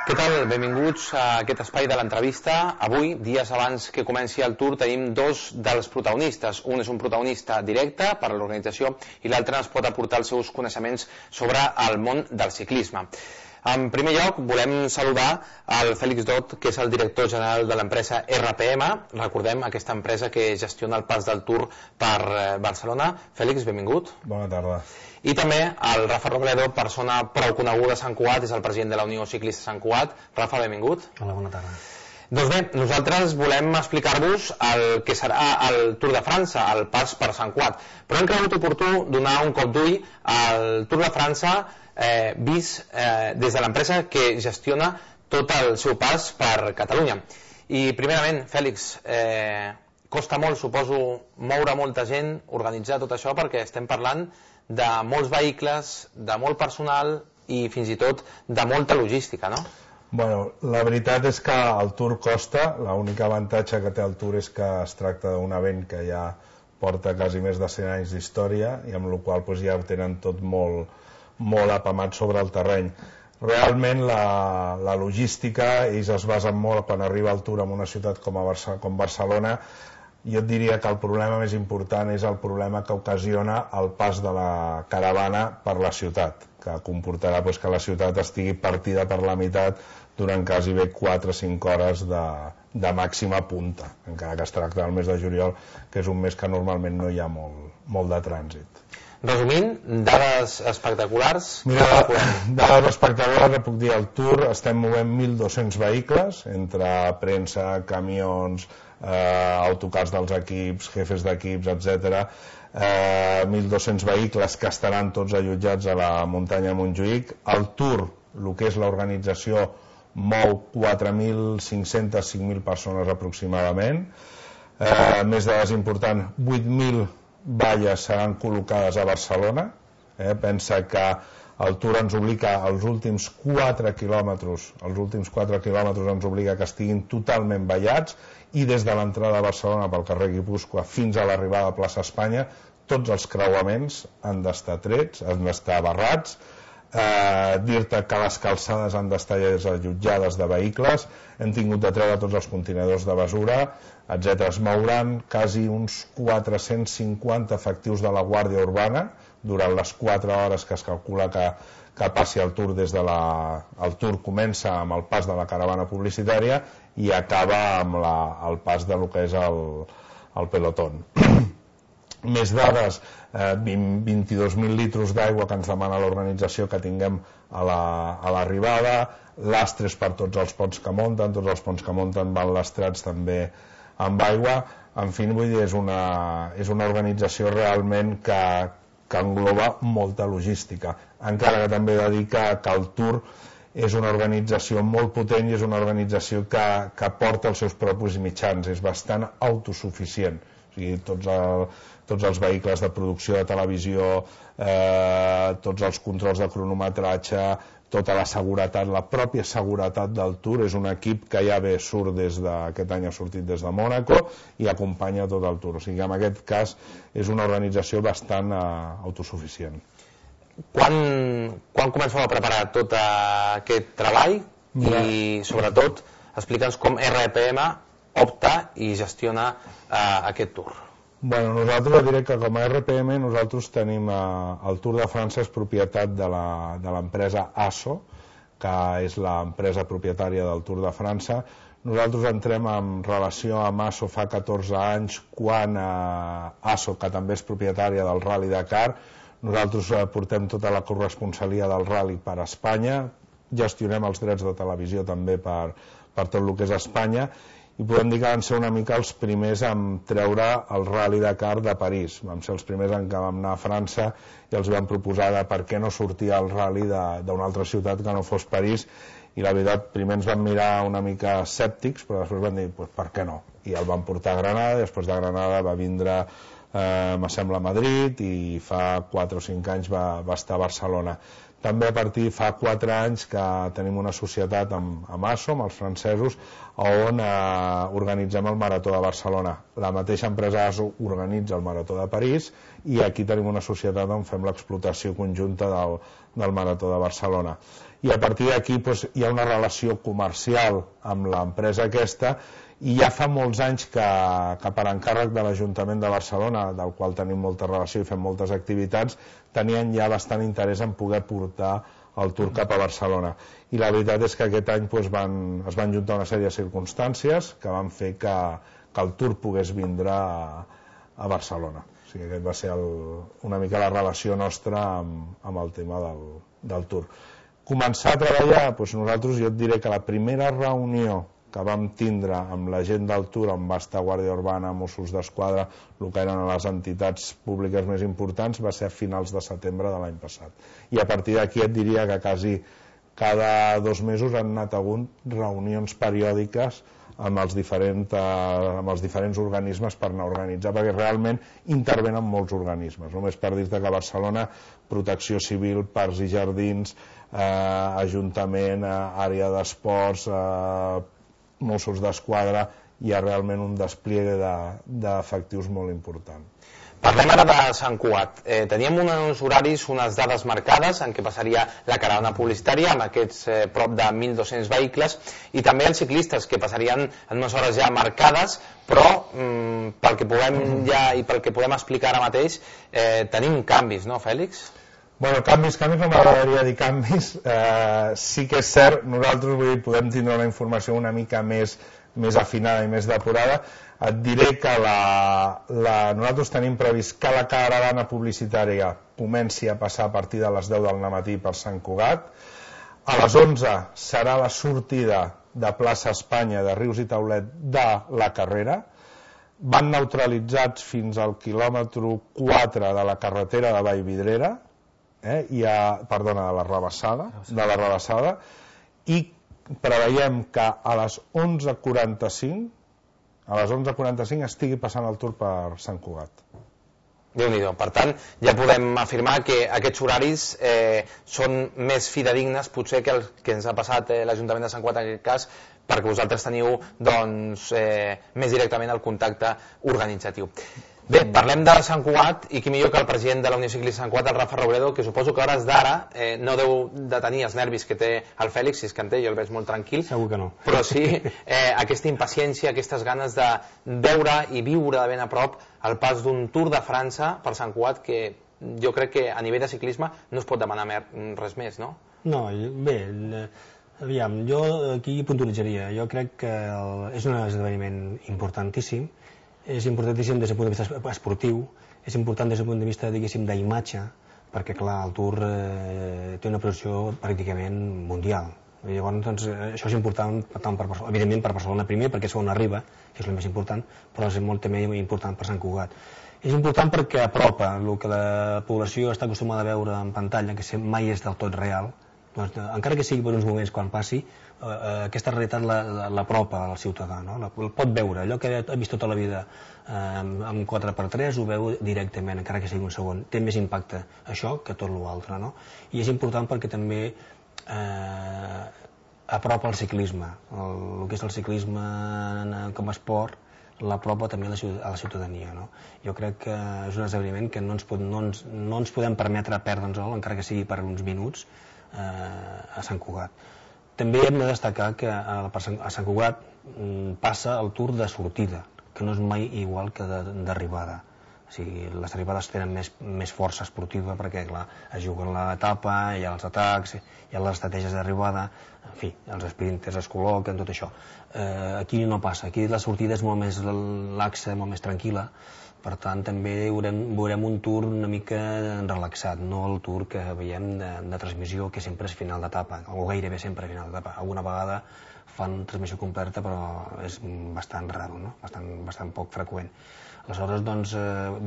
Què tal? Benvinguts a aquest espai de l'entrevista. Avui, dies abans que comenci el Tour, tenim dos dels protagonistes. Un és un protagonista directe per a l'organització i l'altre ens pot aportar els seus coneixements sobre el món del ciclisme. En primer lloc, volem saludar el Fèlix Dot, que és el director general de l'empresa RPM. Recordem aquesta empresa que gestiona el pas del Tour per Barcelona. Fèlix, benvingut. Bona tarda. I també el Rafa Robledo, persona prou coneguda a Sant Cugat, és el president de la Unió Ciclista Sant Cugat. Rafa, benvingut. Hola, bona tarda. Doncs bé, nosaltres volem explicar-vos el que serà el Tour de França, el pas per Sant Cugat. Però hem cregut oportú donar un cop d'ull al Tour de França vist des de l'empresa que gestiona tot el seu pas per Catalunya. I primerament, Fèlix, costa molt, suposo, moure molta gent, organitzar tot això, perquè estem parlant de molts vehicles, de molt personal i fins i tot de molta logística, no? Bueno, la veritat és que el Tour costa. L'únic avantatge que té el Tour és que es tracta d'un event que ja porta quasi més de 100 anys d'història i amb la qual cosa ja ho tenen tot molt apamat sobre el terreny. Realment la logística, ells es basen molt quan arriba el Tour en una ciutat com Barcelona. Jo et diria que el problema més important és el problema que ocasiona el pas de la caravana per la ciutat, que comportarà que la ciutat estigui partida per la meitat durant quasi bé 4 o 5 hores de màxima punta, encara que es tracta del mes de juliol, que és un mes que normalment no hi ha molt de trànsit. Resumint, dades espectaculars. Mira, dades espectaculars, puc dir, al Tour estem movent 1.200 vehicles, entre premsa, camions, autocars dels equips, jefes d'equips, etc. 1.200 vehicles que estaran tots allotjats a la muntanya de Montjuïc. El Tour, el que és l'organització, mou 4.500, 5.000 persones aproximadament. Més dades importants, 8.000 valles seran col·locades a Barcelona. Pensa que el Tour ens obliga als últims 4 quilòmetres ens obliga que estiguin totalment vallats, i des de l'entrada a Barcelona pel carrer Guipúscoa fins a l'arribada a plaça Espanya tots els creuaments han d'estar trets, han d'estar barrats. Dir-te que les calçades han d'estar allotjades de vehicles, hem tingut de treure tots els contenidors de basura, etc. Es mouran quasi uns 450 efectius de la Guàrdia Urbana durant les 4 hores que es calcula que passi el Tour. El Tour comença amb el pas de la caravana publicitària i acaba amb el pas de lo que és el pelotón. Més dades, 22.000 litres d'aigua que ens demana l'organització que tinguem a l'arribada, lastres per tots els ponts que munten, tots els ponts que munten van lastrats també amb aigua. En fi, vull dir, és una organització realment que engloba molta logística, encara que també he de dir que el Tour és una organització molt potent i és una organització que porta els seus propis mitjans, és bastant autosuficient. O sigui, tots els vehicles de producció de televisió, tots els controls de cronometratge, tota la seguretat, la pròpia seguretat del Tour. És un equip que ja surt aquest any ha sortit des de Mònaco i acompanya tot el Tour. O sigui que en aquest cas és una organització bastant autosuficient. Quan comenceu a preparar tot aquest treball? I sobretot explica'ns com RPM opta i gestiona aquest Tour. Bueno, nosaltres diré que com a RPM nosaltres tenim el Tour de França, és propietat de l'empresa ASO, que és l'empresa propietària del Tour de França. Nosaltres entrem en relació amb ASO fa 14 anys, quan ASO, que també és propietària del Rally Dakar, nosaltres portem tota la corresponsalia del Rally per Espanya, gestionem els drets de televisió també per tot el que és Espanya, i podem dir que van ser una mica els primers en treure el Rally Dakar de París. Vam ser els primers en què vam anar a França i els vam proposar de per què no sortia el Rally d'una altra ciutat que no fos París, i la veritat, primer ens van mirar una mica escèptics, però després van dir, per què no? I el van portar a Granada, i després de Granada va vindre, me sembla, a Madrid, i fa 4 o 5 anys va estar a Barcelona. també a partir fa 4 anys que tenim una societat amb ASO, amb els francesos, on organitzem el Marató de Barcelona. La mateixa empresa ASO organitza el Marató de París i aquí tenim una societat on fem l'explotació conjunta del Marató de Barcelona. I a partir d'aquí hi ha una relació comercial amb l'empresa aquesta, i ja fa molts anys que per encàrrec de l'Ajuntament de Barcelona, del qual tenim molta relació i fem moltes activitats, tenien ja bastant interès en poder portar el Tour cap a Barcelona. I la veritat és que aquest any es van juntar una sèrie de circumstàncies que van fer que el Tour pogués vindre a Barcelona. O sigui, aquest va ser una mica la relació nostra amb el tema del Tour. Començar a treballar, nosaltres jo et diré que la primera reunió que vam tindre amb la gent del Tour, on va estar Guàrdia Urbana, Mossos d'Esquadra, el que eren les entitats públiques més importants, va ser a finals de setembre de l'any passat. I a partir d'aquí et diria que quasi cada 2 mesos han anat hagut reunions periòdiques amb els diferents organismes per anar a organitzar, perquè realment intervenen molts organismes. Només per dir-te que a Barcelona, Protecció Civil, Parcs i Jardins, Ajuntament, àrea d'esports, Mossos d'Esquadra, hi ha realment un despliegue d'efectius molt important. Parlem ara de Sant Cugat. Teníem uns horaris, unes dades marcades en què passaria la caravana publicitària amb aquests prop de 1.200 vehicles i també els ciclistes que passarien en unes hores ja marcades, però pel que podem explicar ara mateix tenim canvis, no, Fèlix? Bueno, canvis no m'agradaria dir canvis. Sí que és cert, nosaltres podem tindre una informació una mica més afinada i més depurada. Et diré que nosaltres tenim previst que la caravana publicitària comenci a passar a partir de les 10 del matí per Sant Cugat. A les 11 serà la sortida de plaça Espanya, de Rius i Taulet, de la carrera. Van neutralitzats fins al quilòmetre 4 de la carretera de Vallvidrera, de la Rabassada, i preveiem que a les 11:45 estigui passant el Tour per Sant Cugat. Déu-n'hi-do. Per tant, ja podem afirmar que aquests horaris són més fidedignes potser que el que ens ha passat l'Ajuntament de Sant Cugat en aquest cas, perquè vosaltres teniu més directament el contacte organitzatiu. Bé, parlem de Sant Cugat i qui millor que el president de la Unió Ciclista Sant Cugat, el Rafa Robledo, que suposo que a hores d'ara no deu de tenir els nervis que té el Fèlix, si és que en té, jo el veig molt tranquil. Segur que no. Però sí aquesta impaciència, aquestes ganes de veure i viure de ben a prop el pas d'un Tour de França per Sant Cugat, que jo crec que a nivell de ciclisme no es pot demanar res més, no? No, bé, aviam, jo aquí puntualitzaria. Jo crec que és un esdeveniment importantíssim. És importantíssim des del punt de vista esportiu, és important des del punt de vista, diguéssim, d'imatge, perquè, clar, el Tour té una projecció pràcticament mundial. Llavors, doncs, això és important, evidentment, per Barcelona primer, perquè és on arriba, que és el més important, però és molt també important per Sant Cugat. És important perquè apropa el que la població està acostumada a veure en pantalla, que mai és del tot real. Doncs, encara que sigui per uns moments quan passi, aquesta realitat l'apropa al ciutadà, no? El pot veure, allò que ha vist tota la vida amb 4x3 ho veu directament, encara que sigui un segon. Té més impacte això que tot l'altre, no? I és important perquè també apropa el ciclisme, el que és el ciclisme com a esport, l'apropa també a la ciutadania, no? Jo crec que és un esdeveniment que no ens podem permetre perdre'ns-el, encara que sigui per uns minuts, a Sant Cugat. També hem de destacar que a Sant Cugat passa el Tour de sortida, que no és mai igual que d'arribada. O sigui, les arribades tenen més força esportiva perquè, clar, es juguen l'etapa, hi ha els atacs, hi ha les estratègies d'arribada, en fi, els sprinters es col·loquen, tot això. Aquí no passa, aquí la sortida és molt més laxa, molt més tranquil·la. Per tant, també veurem un Tour una mica relaxat, no el Tour que veiem de transmissió, que sempre és final d'etapa, o gairebé sempre final d'etapa. Alguna vegada fan transmissió completa, però és bastant raro, no? Bastant poc freqüent. Aleshores, doncs,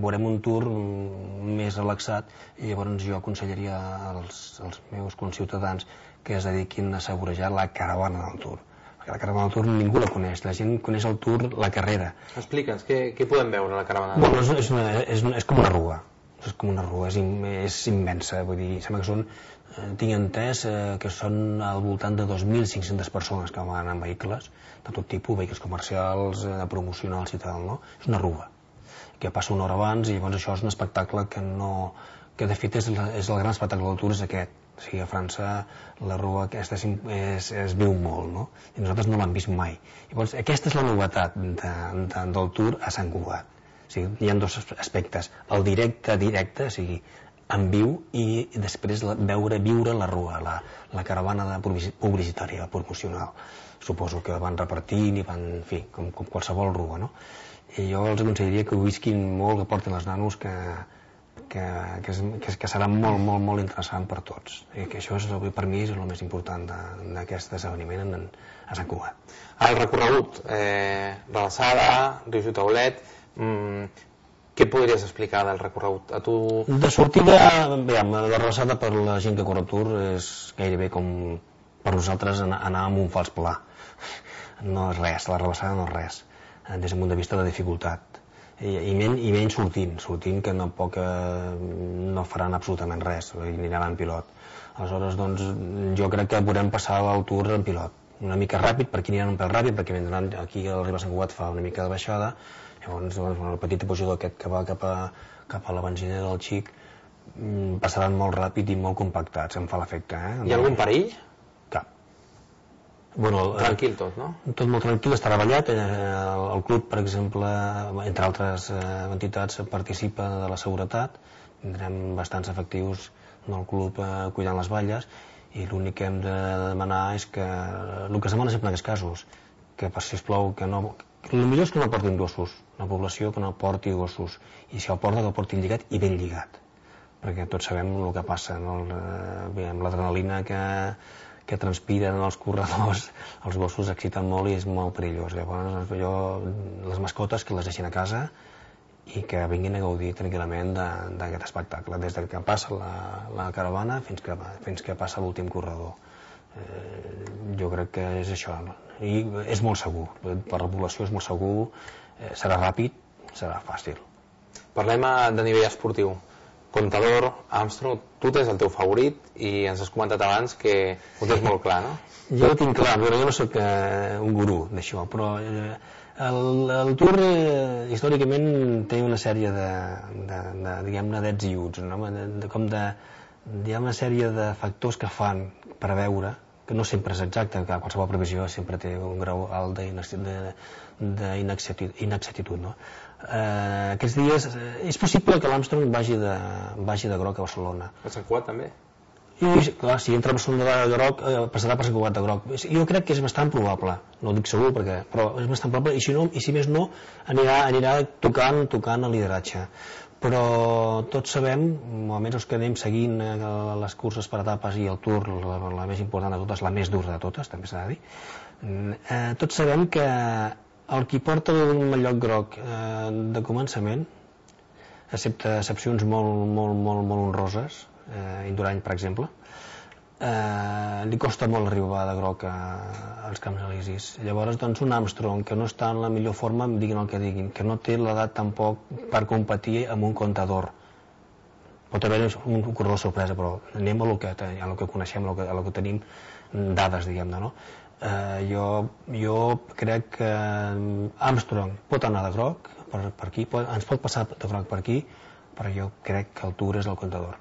veurem un Tour més relaxat i llavors jo aconsellaria als meus conciutadans que es dediquin a assaborejar la caravana del Tour. La caravana del Tour ningú la coneix, la gent coneix el Tour, la carrera. Explica'ns, què podem veure a la caravana del Tour? Bueno, és com una rua. és com una rua, és immensa, vull dir, sembla que són, tinc entès que són al voltant de 2.500 persones que van en vehicles, de tot tipus, vehicles comercials, promocionals i tal, no? És una rua, que passa una hora abans i llavors això és un espectacle que de fet és el gran espectacle del Tour, és aquest. O sigui, a França la rua aquesta es viu molt, no? I nosaltres no l'hem vist mai. Llavors, aquesta és la novetat del Tour a Sant Cugat. O sigui, hi ha dos aspectes. El directe, o sigui, en viu, i després viure la rua, la caravana publicitària, promocional. Suposo que van repartint i van, en fi, com qualsevol rua, no? I jo els aconsellaria que ho visquin molt, que portin els nanos, que serà molt, molt, molt interessant per tots. I que això per mi és el més important d'aquest esdeveniment a Sant Cugat. El recorregut, Relassada, Rius i Taulet, què podries explicar del recorregut? De sortida, la Relassada per la gent que corre el Tour és gairebé com per nosaltres anar amb un fals pla. No és res, la Relassada no és res, des del punt de vista de dificultat. I menys sortint que tampoc no faran absolutament res, aniran en pilot. Aleshores, doncs, jo crec que podrem passar el Tour en pilot, una mica ràpid, per aquí aniran un pèl ràpid, perquè aquí al Riba Sant Cugat fa una mica de baixada, llavors el petit pujador aquest que va cap a la benzinera del Xic passaran molt ràpid i molt compactats, em fa l'efecte. Hi ha algun perill? Cap. Bueno, tranquil tot, no? Tot molt tranquil, està treballat. El club, per exemple, entre altres entitats, participa de la seguretat. Tindrem bastants efectius del club cuidant les valles, i l'únic que hem de demanar és que el que es demana sempre en aquests casos, que sisplau, que no... El millor és que no portin gossos, la població que no porti gossos, i si el porta que el portin lligat i ben lligat, perquè tots sabem el que passa, no? Amb l'adrenalina que transpiren els corredors, els gossos exciten molt i és molt perillós. Llavors, les mascotes que les deixin a casa i que vinguin a gaudir tranquil·lament d'aquest espectacle, des que passa la caravana fins que passa l'últim corredor. Jo crec que és això, i és molt segur, per la població és molt segur, serà ràpid, serà fàcil. Parlem de nivell esportiu. Contador, Armstrong, tu tens el teu favorit i ens has comentat abans que ho tens molt clar, no? Jo ho tinc clar, però jo no soc un gurú d'això, però el Tour històricament té una sèrie diguem-ne, d'ets i uts, hi ha una sèrie de factors que fan preveure, que no sempre és exacte, que qualsevol previsió sempre té un grau alt d'inexactitud, no? Aquests dies és possible que l'Armstrong vagi de groc a Barcelona. A Sant Cugat també? I clar, si entra a Barcelona de groc passarà per Sant Cugat de groc. Jo crec que és bastant probable, no ho dic segur, però és bastant probable, i si més no anirà tocant el lideratge. Però tots sabem, o almenys els que anem seguint les curses per etapes i el Tour, la més important de totes, la més dura de totes, també s'ha de dir, tots sabem que el qui porta un mallot groc de començament, excepte excepcions molt honroses, Indurany, per exemple, li costa molt arribar de groc als Camps Elisis. Llavors, doncs, un Armstrong que no està en la millor forma, diguin el que diguin, que no té l'edat tampoc per competir amb un Contador. Pot haver un corredor sorpresa, però anem a lo que coneixem, a lo que tenim dades, diguem-ne, no? Jo crec que Armstrong pot anar de groc per aquí, ens pot passar de groc per aquí, però jo crec que el Tour és el Contador.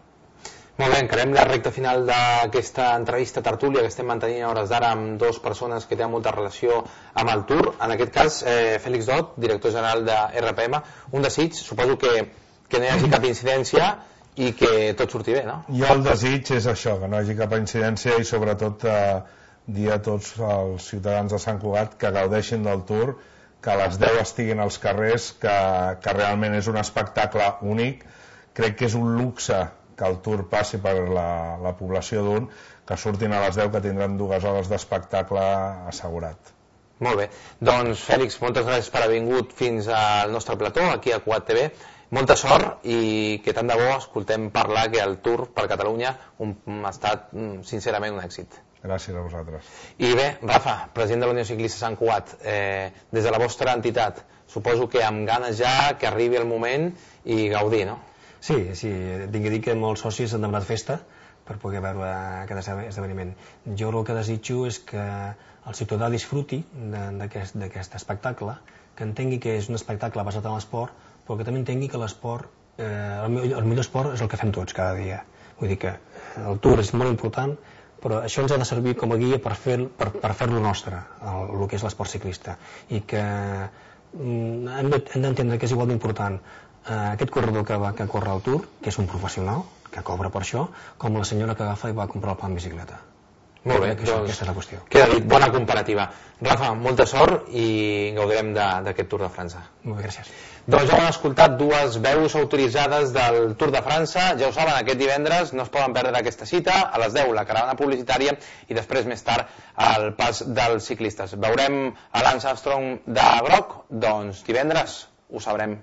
Molt bé, encarem la recta final d'aquesta entrevista tertúlia que estem mantenint a hores d'ara amb dues persones que tenen molta relació amb el Tour. En aquest cas, Fèlix Dot, director general de RPM. Un desig, suposo que no hi hagi cap incidència i que tot surti bé, no? Jo el desig és això, que no hi hagi cap incidència i sobretot dir a tots els ciutadans de Sant Cugat que gaudeixin del Tour, que a les 10 estiguin als carrers, que realment és un espectacle únic. Crec que és un luxe que el Tour passi per la població d'un, que surtin a les 10, que tindran 2 hores d'espectacle assegurat. Molt bé, doncs Fèlix, moltes gràcies per haver vingut fins al nostre plató, aquí a Cugat TV. Molta sort i que tant de bo escoltem parlar que el Tour per Catalunya ha estat sincerament un èxit. Gràcies a vosaltres. I bé, Rafa, president de la Unió Ciclista Sant Cugat, des de la vostra entitat, suposo que amb ganes ja que arribi el moment i gaudir, no? Sí, tinc que dir que molts socis han demanat festa per poder veure aquest esdeveniment. Jo el que desitjo és que el ciutadà disfruti d'aquest espectacle, que entengui que és un espectacle basat en l'esport, però que també entengui que l'esport, el millor esport és el que fem tots cada dia. Vull dir que el Tour és molt important, però això ens ha de servir com a guia per fer-lo nostre, el que és l'esport ciclista, i que hem d'entendre que és igual d'important aquest corredor que corre al Tour, que és un professional, que cobra per això, com la senyora que agafa i va a comprar el pa en bicicleta. Molt bé, doncs aquesta és la qüestió. Queda dit, bona comparativa. Rafa, molta sort i gaudirem d'aquest Tour de França. Molt bé, gràcies. Doncs ja hem escoltat dues veus autoritzades del Tour de França. Ja ho saben, aquest divendres no es poden perdre aquesta cita, a les 10 la caravana publicitària i després més tard el pas dels ciclistes. Veurem a Lance Armstrong de groc? Doncs divendres ho sabrem.